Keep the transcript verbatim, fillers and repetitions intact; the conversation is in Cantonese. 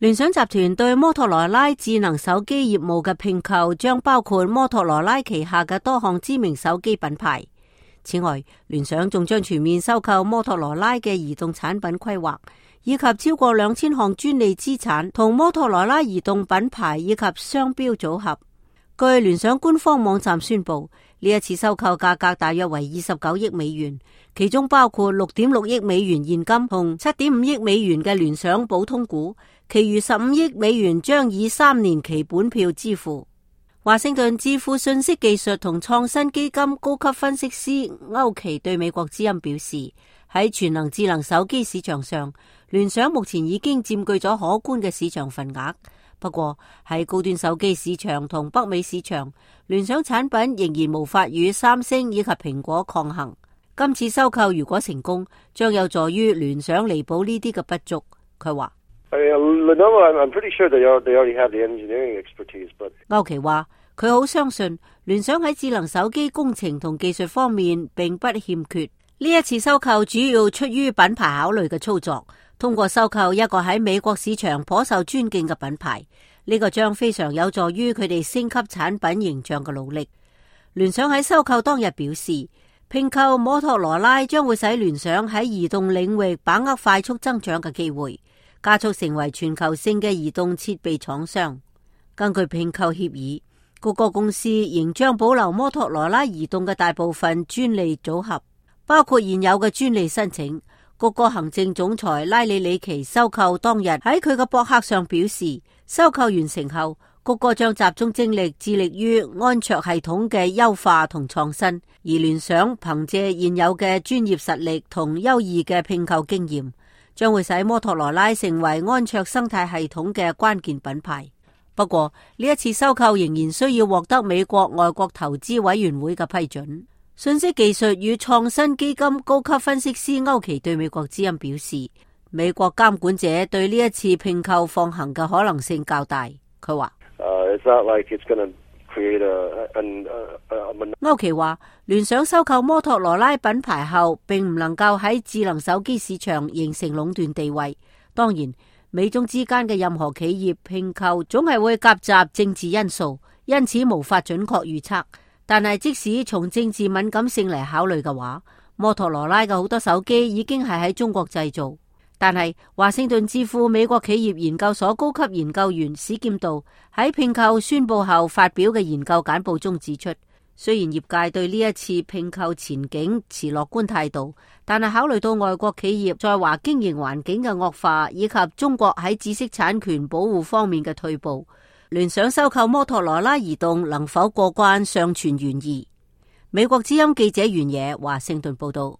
聯想集團對摩托羅拉智能手機業務嘅併購將包括摩托羅拉旗下嘅多項知名手機品牌。此外，聯想仲將全面收購摩托羅拉嘅移動產品規劃，以及超過兩千項專利資產同摩托羅拉移動品牌以及商標組合。據聯想官方網站宣布，呢一次收購價格大約為二十九億美元，其中包括六點六億美元現金同七點五億美元嘅聯想普通股，其餘十五億美元將以三年期本票支付。華盛頓智庫信息技術同創新基金高級分析師歐奇對美國之音表示，喺全能智能手機市場上，聯想目前已經佔據咗可觀嘅市場份額。不過喺高端手機市場同北美市場，聯想產品仍然無法與三星以及蘋果抗衡。今次收購如果成功，將有助於聯想彌補呢啲嘅不足。佢話歐奇話佢好相信聯想喺智能手機工程同技術方面並不欠缺。呢一次收購主要出於品牌考慮嘅操作。通過收購一個喺美國市場頗受尊敬嘅品牌，呢個將非常有助於佢哋升級產品形象嘅努力。聯想喺收購當日表示，併購摩托羅拉將會使聯想喺移動領域把握快速增長嘅機會，加速成為全球性嘅移動設備廠商。根據併購協議，谷歌公司仍將保留摩托羅拉移動嘅大部分專利組合，包括現有嘅專利申請。谷歌行政總裁拉里里奇收購當日喺佢嘅博客上表示，收購完成後，谷歌將集中精力致力於安卓系統嘅優化同創新，而聯想憑借現有嘅專業實力同優異嘅併購經驗，將會使摩托羅拉成為安卓生態系統嘅關鍵品牌。不過呢一次收購仍然需要獲得美國外國投資委員會嘅批准。信息技術與創新基金高級分析師歐奇對美國之音表示，美國監管者對呢一次併購放行嘅可能性較大。佢話歐奇話，聯想收購摩托羅拉品牌後，並唔能夠喺智能手機市場形成壟斷地位。當然，美中之間嘅任何企業併購總係會夾雜政治因素，因此無法準確預測。但係即使從政治敏感性嚟考慮嘅話，摩托羅拉嘅好多手機已經係喺中國製造。但係華盛頓智庫美國企業研究所高級研究員史劍道喺併購宣布後發表嘅研究簡報中指出，雖然業界對呢一次併購前景持樂觀態度，但係考慮到外國企業在華經營環境嘅惡化，以及中國喺知識產權保護方面嘅退步，聯想收購摩托羅拉移動能否過關尚存懸疑。美國之音記者袁野華盛頓報道。